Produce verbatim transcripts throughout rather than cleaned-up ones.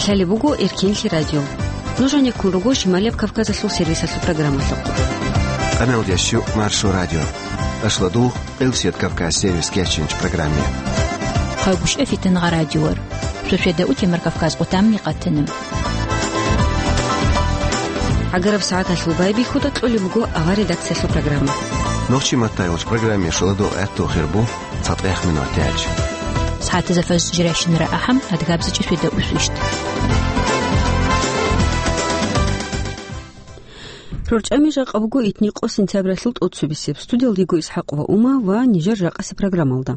Лъалеб буго Эркенлъи радио. Нуж гьанеккун руго Шималияб Кавказалъул сервисалъул программалъухъ. Къаналда щу Маршо радио. Ашлодух, Элсет Кавказ сервис кечинч программе. Хъагушев Фитнагъа радиор. Суседа утемар Кавказ къутамни къатанам. ГӀагараб сагӀаталъул байбихьуда кьолеб буго авар редакциялъул программа. Нохчи маттайгъуч программе шоладо гӀатту хирбу. ЦатӀехъ минутач. СагӀатазда фажр жирайщинара ахӀам, адгабзичӀи светда усвищ. РорчӀами жакъа буго итни къо сентябралъул тӀоцебесеб. Студиялда йиго ИсхӀакъ ва Ума ва нижер жакъаси программалда.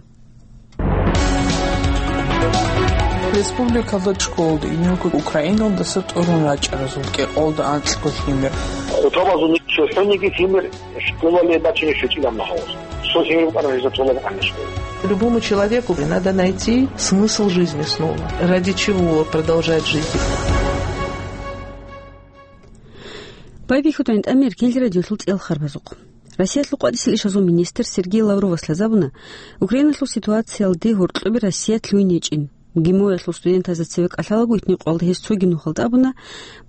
Республикалда школалда инелго Украиналдаса тӀурун рачӀаразул кӀикъоялда анкьго лъимер. Хутабазул чӀухӀуниги лъимер школалде бачине щвечӀилан гьавуз. Цо лъимер букӀана гьезда толеб къанна школа. Любому человеку надо найти смысл жизни снова. Ради чего продолжать жить? Байбихьуда гӀинтӀамер Эркенлъи радиолъул цӀел харбазухъ. Россиялъул къватӀисел ишазул министр Сергей Лавровас лъазабуна, Украиналъул ситуациялде гьоркьобе Россия лъугьине гьечӀин. ГИМОялъул студентазда цеве кӀалъалаго итни къоялда гьез цоги нухалда абуна,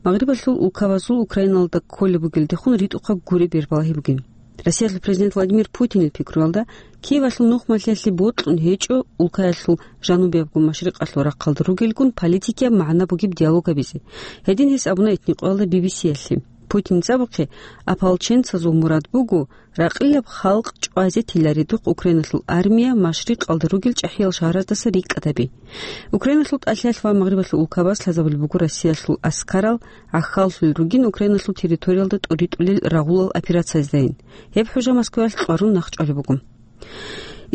Магърибалъул улкабазул Украиналда кколеб бугелдехун ритӀухъаб гуреб бер балагьи бугин. Россиялъул президент Владимир Путинил пикруялда, Киевалъул нухмалъиялъе бокьун гьечӀо улкаялъул жанубиябго машрикъалъул рахъалда ругелгун политикияб магӀна бугеб диалог гьабизе. Гьедин гьес абуна итни къоялда Би Би Си-ялъе. Путинил абухъе, ополченцазул мурад буго ракъилаб халкъ чӀвазе тиларедухъ Украиналъул армия машрикъалда ругел чӀахӀиял шагьараздаса рикӀкӀад гьаби. Украиналъул тӀалъиялъ ва Магърибалъул улкабаз лъазабулеб буго Россиялъул аскарал гӀахьаллъулел ругин Украиналъул территориялда тӀуритӀулел рагъулал операциязайин. Гьеб хӀужа Москваялъ кьварун нахъчӀвалеб буго.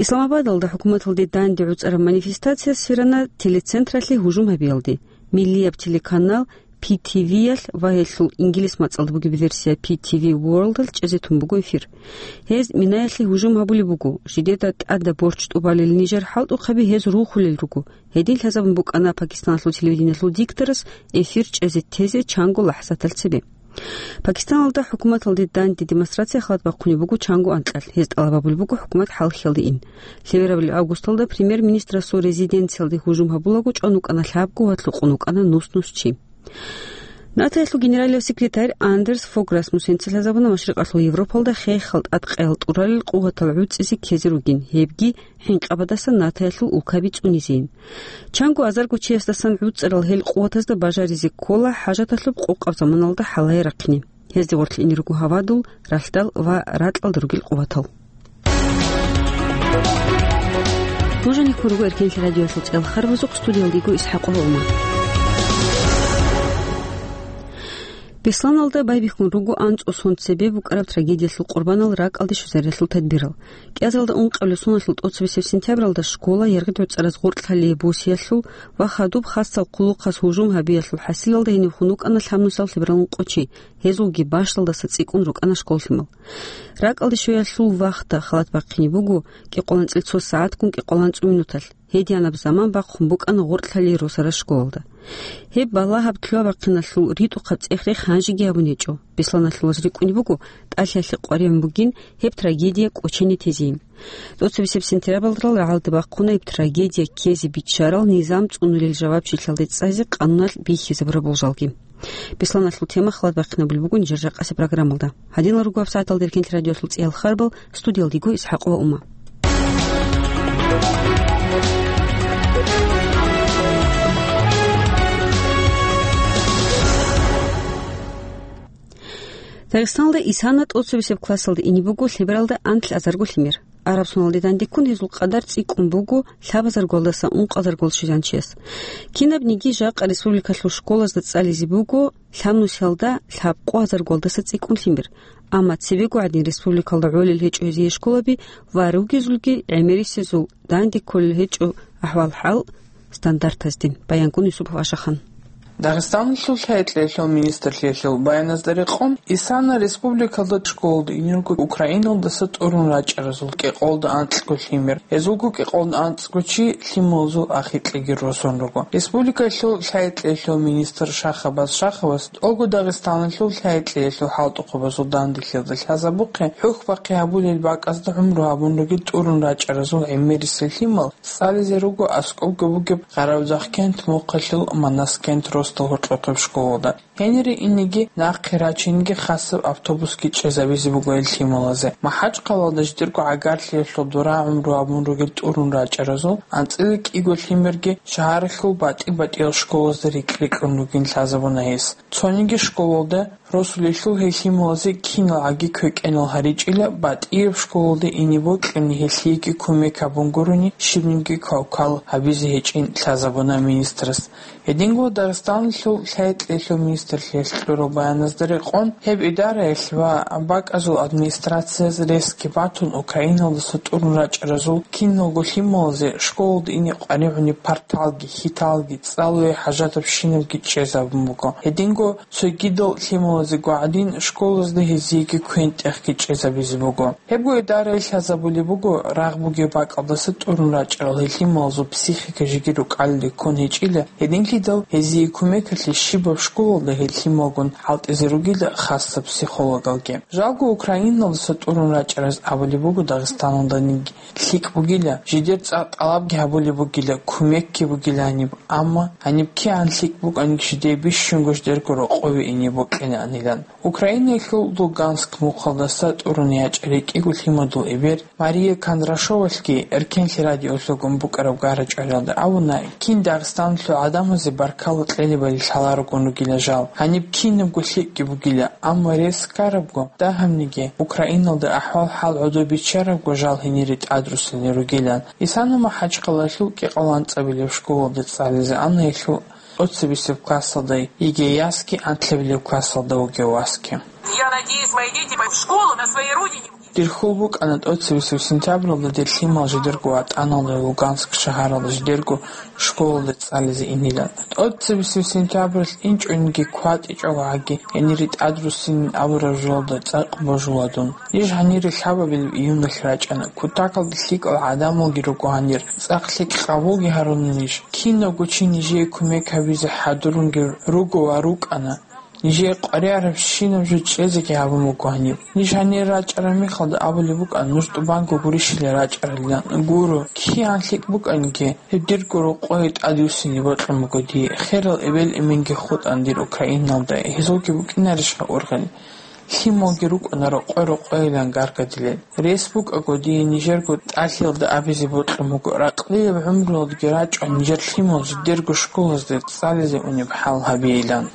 Исламабадалда хӀукуматалде данде гӀуцӀараб манифестация сверана телецентралъе гьужум гьабиялде. Миллияб телеканал Пи Ти Виялъ ва гьелъул инглис мацӀалда бугеб версия Пи Ти Ви Ворлдалъ чӀезе тун буго эфир. Гьез Минаялъе гьужум гьабулеб буго, жидеда тӀада борч тӀубалел нижер хӀалтӀухъаби гьез рухулел руго. Гьедин лъазабун букӀана Пакистаналъул телевидениялъул дикторас эфир чӀезе тезе чанго лахӀзатал цебе. Пакистаналда хӀукуматалде данде демонстрация халат бахъунеб буго чанго анкьалъ, гьез тӀалаб гьабулеб буго хӀукумат хӀалхьиялде ин. Лъеберабали августалда премьер-министрасул резиденциялде гьужум гьабулаго чӀван вукӀана лъабго ва лъукъун вукӀана нус-нус чи. НАТОялъул генералияб секретарь Андерс Фог Расмуссенца лъазабуна Машрикъалъул Европалда хехал тӀадкъаял тӀуралел къуватал гӀуцӀизе ккезе ругин, гьебги хӀинкъабаздасан НАТОялъул улкаби цӀунизейин. Чанго азарго чиясдасан гӀуцӀарал гьел къуватазда бажаризе ккола хӀажаталъуб къокъаб заманалда хӀалае рахъине. Гьезде гъорлъ ине руго гьавадул, ралъдал ва ракьалда ругел къуватал. Нуж гьанеккун руго Эркенлъи радиоялъул цӀел харбазухъ, студиялда йиго ИсхӀакъ ва Ума. Бесланалда байбихьун руго анцӀго сон цебе букӀараб трагедиялъул къурбанал ракӀалде щвезариялъул тадбирал. КӀиазалда ункъабилеб соналъул тӀоцебесеб сентябралда школа яргъи гӀуцӀараз гъоркьлъалие босиялъул ва хадуб хасал хъулухъас гьужум гьабиялъул хӀасилалда гьениб хун вукӀана лъабнусал лъебералгьун къо чи. Гьезулги бащдалдаса цӀикӀкӀун рукӀана школлъимал. РакӀалде щвеялъул вахталда халат бахъине буго кӀикъоялда анцӀила цо сагӀатгун кӀикъоялда анцӀила цо минуталъ. Гьединаб заман бахъун букӀана гъоркьлъалие росарал школалда. Гьеб балагьаб лъугьа-бахъиналъул ритӀухъаб цӀех-рех гьанжеги гьабун гьечӀо. Бесланалъул ваз рикӀкӀунеб буго тӀалъиялъе къваригӀун бугин гьеб трагедия кӀочене тезейин. ТӀоцебесеб сентябралда рагӀалде бахъуна гьеб трагедия ккезе биччарал низам цӀунулел жавабчилъиялде цӀазе къануналъ бихьизабураб болжалги. Бесланалъул тема халат бахъинабулеб буго нижер жакъасеб программалда. Гьадинал руго гьабсагӀаталда Эркенлъи радиоялъул цӀиял харбал, студиялда йиго ИсхӀакъ ва Ума. Дагъистаналда Исана тӀоцебесеб классалда ине буго лъебералда анлъазарго лъимер. Араб соналде дандеккун гьезул къадар цӀикӀкӀун буго лъабазаргоялдаса ункъазаргоялде щвезанчияс. Кинабниги жакъа республикалъул школазда цӀализе буго лъабнусиялда лъабкъоязаргоялдаса цӀикӀкӀун лъимер. Амма цебего гӀадин республикалда гӀолел гьечӀо гьезие школаби ва ругезулги гӀемерисезул данде кколел гьечӀо ахӀвал-хӀал стандартаздин. Баянкун Юсупов Ашахан. Дагъистаналъул лъай-кьеялъул министрлъиялъул баяназда рекъон, Исана республикалда школалда инелго Украиналдаса тӀурун рачӀаразул кӀикъоялда анкьго лъимер, гьезулго кӀикъоялда анцӀго чи лъималазул ахикьаги росун руго. Республикалъул лъай-кьеялъул министр Шахабаз Шахабас тӀолго Дагъистаналъул лъай-кьеялъул хӀалтӀухъабазул данделъиялда лъазабухъе, хӀухь-бахъи гьабулел бакӀазда гӀумру гьабун ругел тӀурун рачӀаразул гӀемерисел лъимал цӀализе руго аскӀобго бугеб Къаравдахкент мухъалъул Манаскент рос гьоркьохъеб школалда. Гьенире инеги, нахъе рачинеги хасаб автобусги чӀезабизе буго гьел лъималазе. МахӀачхъалаялда жидерго гӀагарлъиялъул дора гӀумру гьабун ругел тӀурун рачӀаразул анцӀила кӀиго лъимерги шагьаралъул батӀи-батӀиял школазда рикь-рикьун ругин лъазабуна гьес. Цониги школалда росулелъул гьел лъималазе киналгӀаги квекӀенал гьаричӀила, батӀияб школалде ине бокьани гьелъиеги кумек гьабун гурони, щибниги квалквал гьабизе гьечӀин лъазабуна министрас. Гьединго Дагъистаналъул лъай-кьеялъул министрлъиялъ кьурал баяназда рекъон, гьеб идараялъ ва бакӀазул администрацияз ресги батун, Украиналдаса тӀурун рачӀаразул киналго лъималазе школалда ине къваригӀунеб парталги, хьиталги, цӀалуе хӀажатабщинабги чӀезабун буго. Гьединго цогидал лъималазего гӀадин, школазда гьезиеги квен-тӀехги чӀезабизе буго. Гьебго идараялъ лъазабулеб буго, рагъ бугеб бакӀалдаса тӀурун рачӀарал гьел лъималазул психика жеги рукӀалде ккун гьечӀила, гьединлъидал гьезие кумекалъе щибаб школалда гьел лъималгун хӀалтӀизе ругила хасаб психологалги. Жалго, Украиналдаса тӀурун рачӀараз абулеб буго Дагъистаналданиги лъикӀ бугила, жидер цӀакъ тӀалабги гьабулеб бугила, кумекги бугила гьаниб, амма гьаниб кигӀан лъикӀ букӀаниги жидее бищунго жидерго рокъове ине бокьилаанилан. Украинаялъул Луганск мухъалдаса тӀурун ячӀарай кӀиго лъимадул эбел Мария Кондрашовалъги Эркенлъи радиолъулгун букӀараб гара-чӀвариялда абуна, кин Дагъистаналъул гӀадамазе баркалла кьелебали лъаларогун ругила жал, гьаниб кинабго лъикӀги бугила, амма рес ккарабго, дагьабниги, Украиналда ахӀвал-хӀал гӀодобиччарабго жал гьенире тӀадруссине ругилан. Исана МахӀачхъалаялъул кӀикъоялда анцӀабилеб школалде цӀализе ана гьелъул тӀоцебесеб классалда йигей ясги анлъабилеб классалда вугев васги. Я надеюсь, мои дети пойдут в школу на своей родине. Дир хьул букӀана тӀоцебесеб сентябралда дир лъимал жидерго ватӀаналда Луганск шагьаралда жидерго школалде цӀализе инилан. ТӀоцебесеб сентябралъ инчӀониги кватӀичӀого гӀаги, гьенире тӀадруссинин абураб жоялда цӀакъ божула дун. Ниж гьанире лъабабилеб июналъ рачӀана. Кутакалда лъикӀал гӀадамалги руго гьанир, цӀакъ лъикӀ къабулги гьаруна ниж. Кинавго чи нижее кумек гьабизе хӀадурунги руго ва рукӀана. Нижее къваригӀарабщинаб жо чӀезеги гьабун буго гьаниб. Ниж гьанир рачӀараб мехалда абулеб букӀана, нуж тӀубанго гурищилан рачӀарилан. Гуро, кигӀан лъикӀ букӀаниги, гьеб дирго рокъое тӀадвуссине бокьун буго дие. Херал эбел-эменги хутӀана дир Украиналда, гьезулги букӀинарищха ургъел? Лъималги рукӀана рокъой-рокъойилан гаргадилел. Рес букӀаго, дие нижерго тӀалъиялда абизе бокьун буго, ракълияб гӀумруялдги рачӀун нижер лъимал жидерго школазде цӀализе унеб хӀал гьабейилан.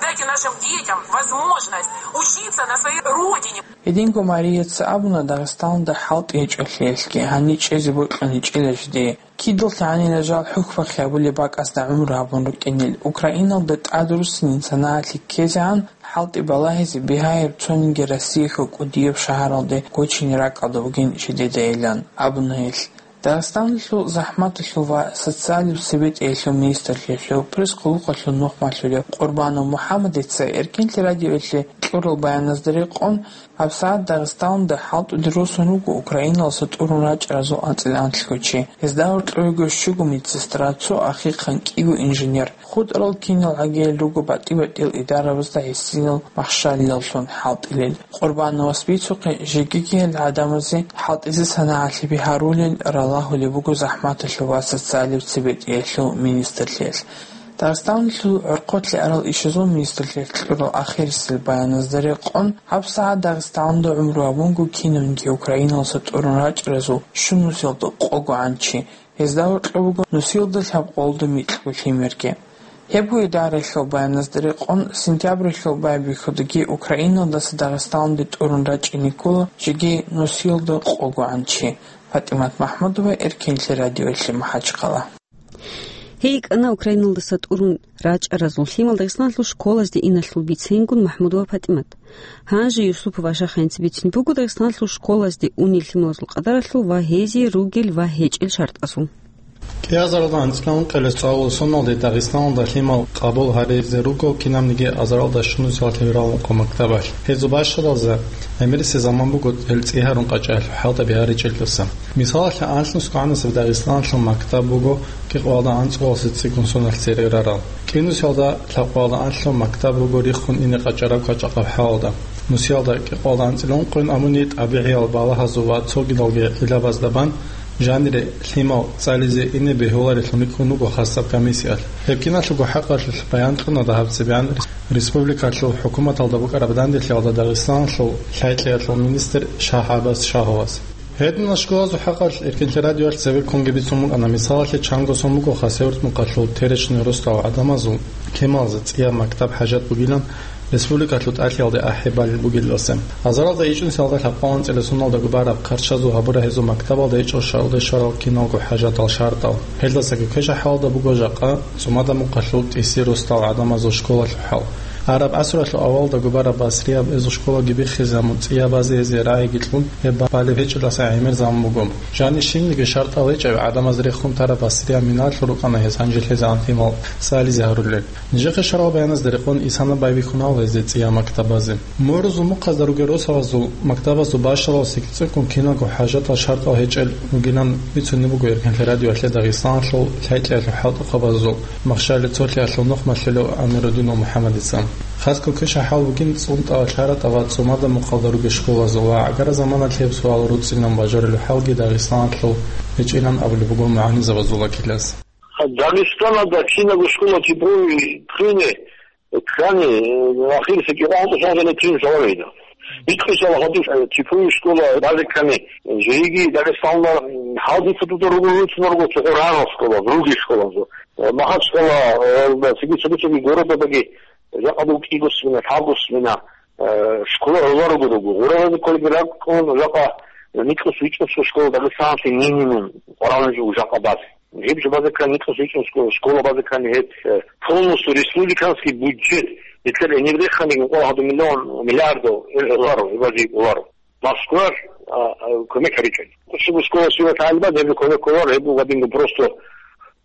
Дайте нашим детям возможность учиться на своей родине. Гьединго Марияца абуна, Дагъистаналда хӀалтӀи гьечӀолъиялъги, гьаниб чӀезе бокьун гьечӀила жидее. Кидалъ гьанила жал хӀухьбахъи гьабулеб бакӀасда гӀумру гьабун рукӀинел. Украиналда тӀадруссинин санагӀалъи ккезегӀан хӀалтӀи балагьизе бигьаяб цониги Россиялъул кӀудияб шагьаралде гочине ракӀалда бугин жидедайилан абуна гьелъ. Дагъистаналъул захӀматалъул ва социалияб цебетӀиялъул министрлъиялъул пресс-къуллукъалъул нухмалъулев Къурбанов МухӀаммадица Эркенлъи радиоялъе кьурал баяназда рекъон, гьабсагӀат Дагъистаналда хӀалтӀуде росун руго Украиналдаса тӀурун рачӀаразул анцӀила анлъго чи. Гьезда гьоркьовего щуго медсестра, цо ахихъан, кӀиго инженер. ХутӀарал кинал гӀагиял руго батӀи-батӀиял идарабазда гӀисинал махщалилаллъун хӀалтӀилел. Къурбановас бицухъе, жегиги гьел гӀадамазе хӀалтӀизе санагӀалъи бигьарулел ралагьулеб буго захӀматалъул ва социалияб цебетӀиялъул министрлъиялъ. Дагъистаналъул гӀорхъолъи арал ишазул министрлъиялъ кьурал ахирисел баяназда рекъон, гьабсагӀат Дагъистаналда гӀумру гьабунго кинавниги Украиналдаса тӀурун рачӀаразул щун нусиялда къогогӀан чи. Гьезда гьоркьоб буго нусиялда лъабкъоялда микьго лъимерги. Гьебго идараялъул баяназда рекъон, сентябралъул байбихьудаги Украиналдаса Дагъистаналде тӀурун рачӀине ккола жеги нусиялда къогогӀан чи. ПатӀимат МахӀмудова, Эркенлъи радиоялъе, МахӀачхъала. Гьей йикӀана Украиналдаса тӀурун рачӀаразул лъимал Дагъистаналъул школазде иналъул бицейингун МахӀмудова ПатӀимат. Гьанже Юсупов Ашахъ гьениб бицунеб буго Дагъистаналъул школазде унел лъималазул къадаралъул ва гьезие ругел ва гьечӀел шартӀазул. КӀиазаралда анцӀила ункъоялда цӀалулел соналде Дагъистаналда лъимал къабул гьаризе руго кинабниги азаралда щунусиялда гьавурал ункъо мактабалъ. Гьезул бащадалза гӀемерисеб заман буго гьел цӀи гьарун къачӀалъ хӀалтӀи бигьаричӀелдаса. Мисалалъе, анлънусго гӀанасеб Дагъистаналъул мактаб буго кӀикъоялда анцӀгоялдаса цӀикӀкӀун соналъ цере рарал. КӀинусиялда лъабкъоялда анлъго мактаб руго риххун ине къачӀараб кӀочӀахъаб хӀалалда. Нусиялда кӀикъоялда анцӀила ункъоян абуни, тӀабигӀиял балагьазул ва цогидалги гӀиллабазда бан, Жанире лъимал цӀализе ине бегьуларелъун рикӀкӀун руго хасаб комиссиялъ. Гьеб киналъулго хӀакъалъулъ баян кьуна дагьаб цебегӀан республикалъул хӀукуматалда букӀараб данделъиялда Дагъистаналъул лъай-кьеялъул министр ШагьгӀабас Шагьовас. Гьединал школазул хӀакъалъ Эркенлъи радиоялъ цебеккунги бицун букӀана, мисалалъе, чанго сон буго Хасавюрт мукъалъул Теречный росдал гӀадамазул кемалазе цӀияб мактаб хӀажат бугилан, республикалъул тӀалъиялде ахӀи балел бугелдаса. Азаралда ичӀнусиялда лъабкъоялда анцӀила соналдаго бараб хъарчазул гьабураб гьезул мактабалда ичӀо шагьурде щварал киналго хӀажатал шартӀал. Гьелдасаги квешаб хӀалалда буго жакъа ЦӀумада мукъалъул ТӀиси росдал гӀадамазул школалъул хӀал. Араб гӀасралъул авалалдаго бараб Басрияб гьезул школаги биххизабун, цӀиябазе гьезие рагӀиги кьун, гьеб балеб гьечӀелдаса гӀемерзабун буго. Жанир щибниги шартӀал гьечӀеб гӀадамаз рехун тараб Басрияб миналъул рукӀана гьез гьанже лъезегӀан лъимал цӀализе гьарулел. Нижехъе щварал баяназда рекъон исана байбихьунал гьезде цӀияб мактабазе. Мурузул мухъазда ругел росабазул мактабазул бащалалдасаги цӀикӀкӀун киналго хӀажатал шартӀал гьечӀел ругилан бицунеб буго Эркенлъи радиоялъе Дагъистаналъул лъай-кьеялъул хӀалтӀухъабазул Махщалил цолъиялъул нухмалъулев Амирудинов МухӀаммадица. Хасго квешаб хӀал бугин ЦӀунтӀа, ЛъаратӀа ва ЦӀумада мухъалда ругел школазул ва гӀагар заманалъ гьеб суал руцӀцӀинан бажарулеб хӀалги Дагъистаналъул гьечӀилан абулеб буго мугӀалимзабазул вакилас. Дагъистаналда кинабго школа типовый ккани, ккани, ахирисеги гъантӀу сагъана тин жавабида. Бикъусала гьадуш, э, типовый школа базе ккани, жеги Дагъистаналда гьадица туда ругу руцунарго цо гъорарал школа, другие школа зо. Э, Махачкала, э, цоги цоги цоги городабаги жакъа буго кӀиго смена, лъабго смена, э, школа гӀоларуго руго. Гъораразе кколеб ракӀун жакъа никӀус вичӀусго школа Дагъистаналъе минимум къварагӀун жо жакъа базе. Гьеб жо базеккан, никъус вичӀун шко-, школа базеккан, гьеб, э, полностью республиканский бюджет, бетӀер гьениб реханиг, мукъала гьадин миллион, миллиардов, э, долларов, гьеб базе кӀоларо. Москваялъ, а, а, кумек гьаричӀо. Къуччугу школа щиват гьалбат, гьеб кумек кӀоларо, гьеб гьадинго просто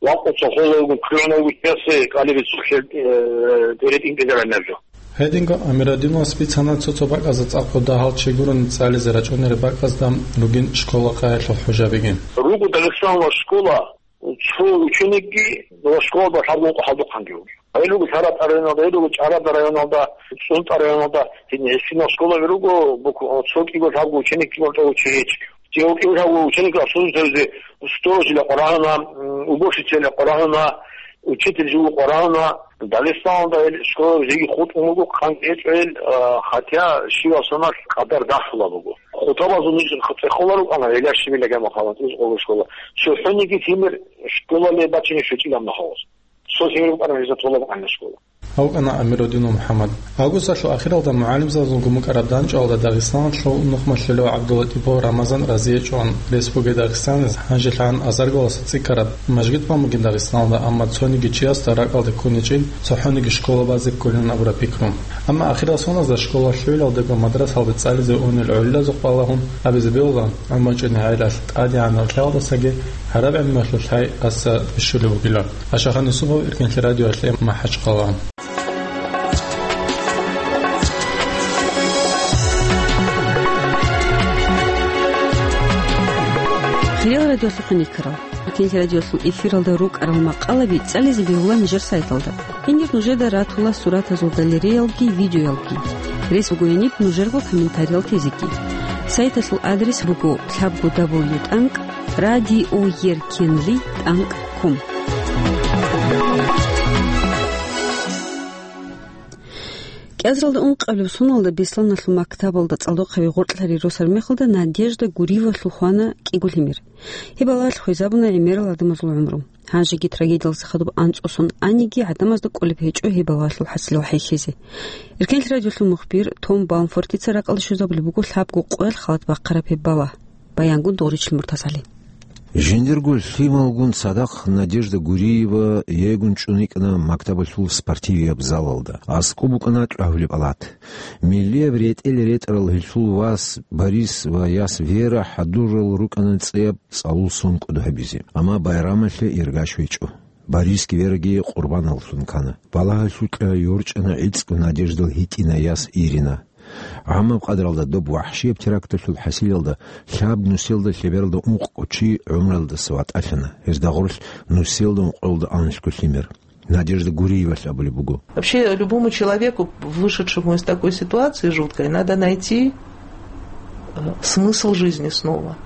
вакъуца холовгун, кругӀнавгун чиясе кӀалиби цохӀел, э, тӀеретӀин кӀезаран наб жо. Гьединго Амирадиновас бицана цо-цо бакӀазда цӀакъго дагьал чи гурони цӀализе рачӀунел бакӀазда ругин школа къаялъул хӀужабиги. Руго Дагъистаналда школа, цо ученикги ва школада лъабго ункъо хӀалдухъанги вугев. Гьел руго ЛъаратӀа районалда, гьел руго ЧӀарада районалда, ЦӀунтӀа районалда, гьедин гьесинал школаби руго, бук-, цо кӀиго лъабго ученикги ва цо ученикги. Цо кӀиго лъабго ученикги обслуживать гьаризе сторожила къварагьуна, м, уборщицала къварагьуна, учитель жив къварагьуна. Дагъистаналда гьел школаби жеги хутӀун буго, хъанги гьечӀо гьел, а, хотя щивасунал къадар дагьлъула буго. Хутабазул ниж цӀехола рукӀана, гьелар щибила гьамахъала цӀикӀкӀого школа. ЦохӀониги лъимер школалде бачине щвечӀилан нахъаваз. Цо лъимер букӀана гьезда толеб гӀанна школа. Гьав вукӀана Амирудинов МухӀаммад. Августалъул ахиралда мугӀалимзабазулгун букӀараб дандчӀвалда Дагъистаналъул нухмалъулев ГӀабдулатӀипов Рамазан разие чӀун, Республика Дагъистаналъ гьанжелъагӀан азаргаласа цӀикӀкӀараб мажгит бан бугин Дагъистаналда, амма цониги чиясда ракӀалде ккун гьечӀин цохӀониги школа базе кколин абураб пикру. Амма ахирал соназда школа лъугӀиналдаго мадрасалде цӀализе унел гӀолилазухъ балагьун абизе бегьула, гӀумру чӀинегӀелалъ тӀадегӀанав лъаялдасаги гӀараб гӀелмуялъул лъай аса бищулеб бугила. Ашахан Юсупов, Эркенлъи радиоялъе, МахӀачхъала. Хириял радиолъухъ никарал. Эркенлъи радиолъул эфиралда рукӀарал макъалаби цӀализе бегьула нижер сайталда. Гьенир нужеда ратула суратазул галереялги видеоялги. Рес бугояниб нужерго комментариял тезеги. Сайталъул адрес буго лъабго дабл ю тӀанкӀ радиоеркенлъи тӀанкӀ ком. КӀиазаралда ункъабилеб соналда Бесланалъул мактабалда цӀалдохъаби гъоркьлъарил росармехалда Надежда Гуриевалъул хвана кӀиго лъимер. Гьеб балагьалъ хвезабуна гӀемерал гӀадамазул гӀумру. Гьанжеги трагедиялдаса хадуб анцӀго сон аниги, гӀадамазда кӀолеб гьечӀо гьеб балагьалъул хӀасилал хӀехьезе. Эркенлъи радиолъул мухбир Том Баумфортица ракӀалде щвезабулеб буго лъабго къоялъ халат бахъараб гьеб балагь. Баянгун Догъричил МуртазгӀали. Жиндирго лъималгун цадахъ Надежда Гуриева егун чӀун йикӀана мактабалъул спортивияб залалда. АскӀоб букӀана чӀвагьулеб алат. Миллияб ретӀел ретӀарал гьелъул вас Борис ва яс Вера хӀадурал рукӀана цӀияб цӀалул сон кӀуд гьабизе. Амма байрамалъе иргач вечӀо. Борисги Вераги къурбаналлъун ккана. Балагьалъукьа йорчӀана гӀицӀго Надеждал гьитӀина яс Ирина. ГӀамаб къадралда доб вахӀшияб теракталъул хӀасилалда лъаб нусиялда лъебералда ункъго чи гӀумруялдаса ватӀалъана. Гьезда гъорлъ нусиялда ункъоялда анлъго лъимер. Надежда Гуриевалъ абулеб буго. Вообще, любому человеку, вышедшему из такой ситуации жуткой, надо найти, э, смысл жизни снова.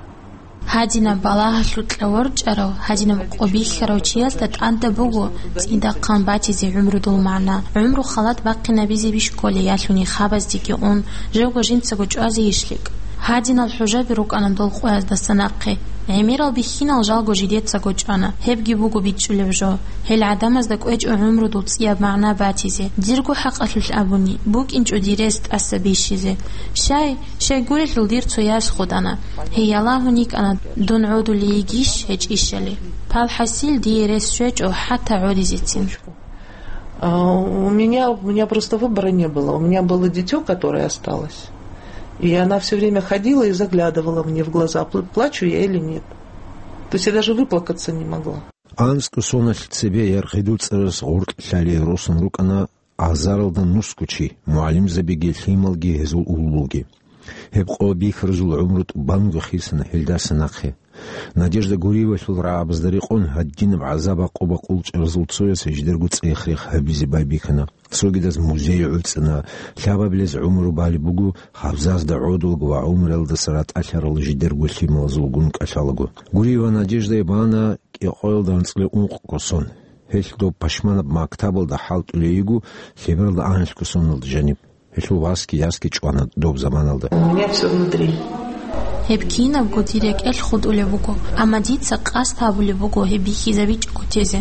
Гьадинаб балагьалъукьа ворчӀарав, гьадинаб къо бихьарав чиясда тӀадаб буго цӀидахъан батизе гӀумрудул магӀна. ГӀумру халат бахъинабизе бищ кколей ялъуни хабаздеги ун, живго жинцаго чӀвазе ишлик. Гьадинал хӀужаби рукӀана дол къояздаса нахъе. ГӀемерал бихьинал жалго жидецаго чӀвана, гьебги буго бичӀчӀулеб жо. Гьел гӀадамазда кӀвечӀо гӀумрудул цӀияб магӀна батизе. Дирго хӀакъалъулъ абуни, букӀинчӀо дир рес тӀаса бищизе. Щай, щайгурелъул дир цо яс хутӀана. Гьей ялагьун йикӀана, дун гӀодулей йигищ гьечӀищали. Пал хӀасил дие рес щвечӀо хӀатта гӀодизецин. А, у меня, у меня просто выбора не было. У меня было дитё, которое осталось. И она всё время ходила и заглядывала мне в глаза, пл-, плачу я или нет. То есть я даже выплакаться не могла. АнцӀго соналъ цебе Яргъидул цӀараз ГъортӀ Лъалие росун рукӀана азаралда нусго чи, мугӀалимзабиги лъималги гьезул уллуги. Гьеб къо бихьарзул гӀумру тӀубанго хисана гьелдаса нахъе. Надежда Гуриевалъул рагӀабазда рекъон гьадинаб гӀазаб-гӀакъуба къулчӀаразул цояс жидерго цӀех-рех гьабизе байбихьана. Цогидаз музей гӀуцӀана, лъабабилез гӀумру балеб буго, гьабзазда гӀодулго ва гӀумруялдаса ратӀалъарал жидерго лъималазулгун кӀалъалаго. Гуриева Надеждае бана кӀикъоялда анцӀила ункъго сон. Гьелъ доб пашманаб мактабалда хӀалтӀулей йиго, лъебералда анлъго соналда жаниб. Гьелъул васги ясги чӀвана доб заманалда. У меня всё внутри. Гьеб кинабго дир рекӀелъ хутӀулеб буго, амма дица къасд гьабулеб буго гьеб бихьизабичӀого тезе.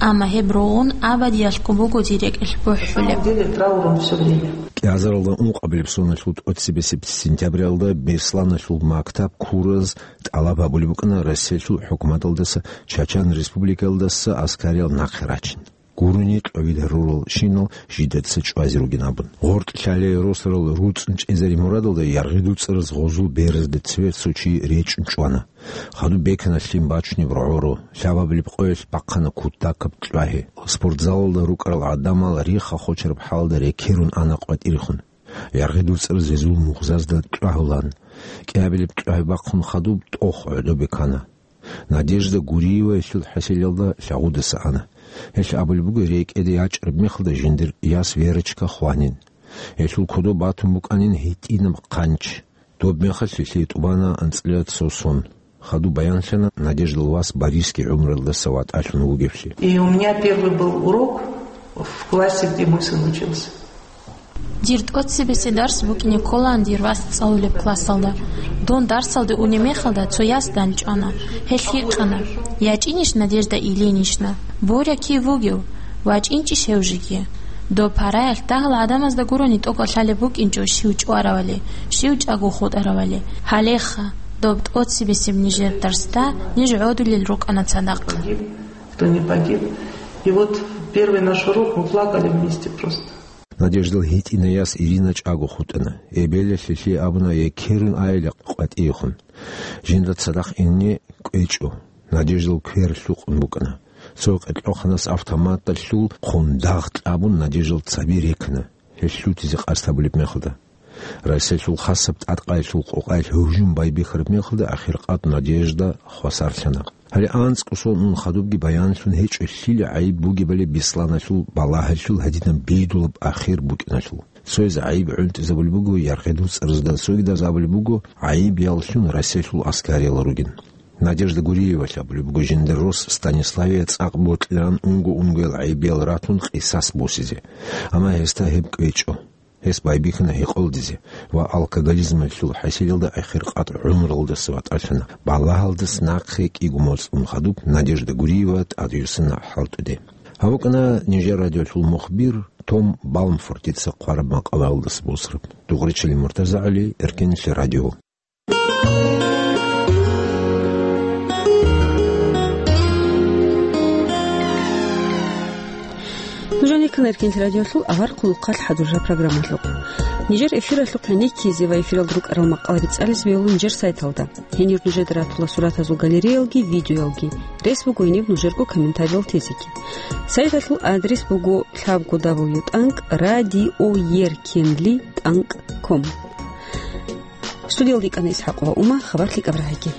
Амма гьеб ругъун абадиялъго буго дир рекӀелъ бухӀулеб. На самом деле трауром всё время. КӀиазаралда ункъабилеб соналъул тӀоцебесеб сентябралда Бесланалъул мактаб ккураз тӀалаб гьабулеб букӀана Россиялъул хӀукуматалдаса Чачан Республикалдаса аскариял нахъе рачин. Гурони кьовил гьарурал щинал жидеца чӀвазе ругин абун. ГъортӀ Лъалие росарал руцӀцӀун чӀезари мурадалда Яргъидул цӀараз гъозул беразда цеве цо чи речӀчӀун чӀвана. Хадуб бекана лъим бачунеб рогӀоро, лъабабилеб къоялъ бахъана кутакаб кьвагьи. Спортзалалда рукӀарал гӀадамал риха-хочараб хӀалда рекерун ана къватӀирехун. Яргъидул цӀараз гьезул мугъзазда кьвагьулан. КӀиабилеб кьвагьи бахъун хадуб тӀох гӀодобе ккана. Надежда Гуриева гьелъул хӀасилалда лъагъудаса ана. Гьелъ абулеб буго, рекӀеде ячӀараб мехалда жиндир яс Верочка хванин. Гьелъул кодоб батун букӀанин гьитӀинаб хъанч. Доб мехалъ гьелъие тӀубана анцӀила цо сон. Хадуб баянлъана Надеждал вас Борисги гӀумруялдаса ватӀалъун вугевлъи. И у меня первый был урок в классе, где мой сын учился. Дир тӀоцебесеб дарс букӀине кколаан дир вас цӀалулеб классалда. Дун дарсалде унеб мехалда цо яс данчӀвана. Гьелъ гьикъана: «ЯчӀинищ Надежда Ильинична? Боря кив вугев? ВачӀинчӀищ гьев жеги?» Доб параялъ дагьал гӀадамазда гурони тӀокӀалъалеб букӀинчӀо щив чӀваравали, щив чӀаго хутӀаравали. Гьалеха, доб тӀоцебесеб нижер дарсда ниж гӀодулел рукӀана цадахъ. Кто не погиб. И вот первый наш урок, мы плакали вместе просто. Надеждал гьитӀинай яс Ирина чӀаго хутӀана. Эбелалъ гьелъие абуна, екерун айила къватӀиехун. Жинда цадахъ ине кӀвечӀо. Надеждал квер лъукъун букӀана. Цо къеркьоханас автоматалъул хъун дагъ кьабун Надеждал цаби рекана, гьелъ лъутизе къасд гьабулеб мехалда. Россиялъул хасаб тӀадкъаялъул къокъаялъ гьужум байбихьараб мехалда ахиркъад Надежда хвасарлъана. Гьале анцӀго сон ун хадубги баянлъун гьечӀо лъила гӀайиб бугебали Бесланалъул балагьалъул гьадинаб бийдулаб ахир букӀиналъул. Цояз гӀайиб гӀунтӀизабулеб буго Яргъидул цӀарзда, цогидаз абулеб буго гӀайиб яллъун Россиялъул аскариялал ругин. Надежда Гуриевалъ абулеб буго, жиндир рос Станиславие цӀакъ бокьилаан унго-унгоял гӀайибиял ратун къисас босизе. Амма гьесда гьеб кӀвечӀо. Гьес байбихьана гьекъолдизе ва алкоголизмалъул хӀасилалда ахиркъад гӀумруялдаса ватӀалъана. Балагьалдас нахъе кӀиго моцӀ ун хадуб Надежда Гуриева тӀадюссана хӀалтӀуде. Гьаб букӀана нижер радиолъул мухбир Том Балмфортица хъвараб макъалаялдаса босараб. Дугъричилин Муртаза ГӀали, Эркенлъи радио. Нуж гьанир ккана Эркенлъи радиолъул авар хъулухъалъ хӀадуржа программалъухъ. Нижер эфиралъухъ гӀенеккизе ва эфиралда рукӀарал макъалаби цӀализе бегьула нижер сайталда. Гьенир нужеда ратула суратазул галереялги, видеоялги. Рес буго гьениб нужерго комментариял тезеги. Сайталъул адрес буго дабл ю дабл ю дабл ю тӀанкӀ радиоеркенли тӀанкӀ ком. Студиялда йикӀана ИсхӀакъова Ума, хабар лъикӀаб рагӀиги.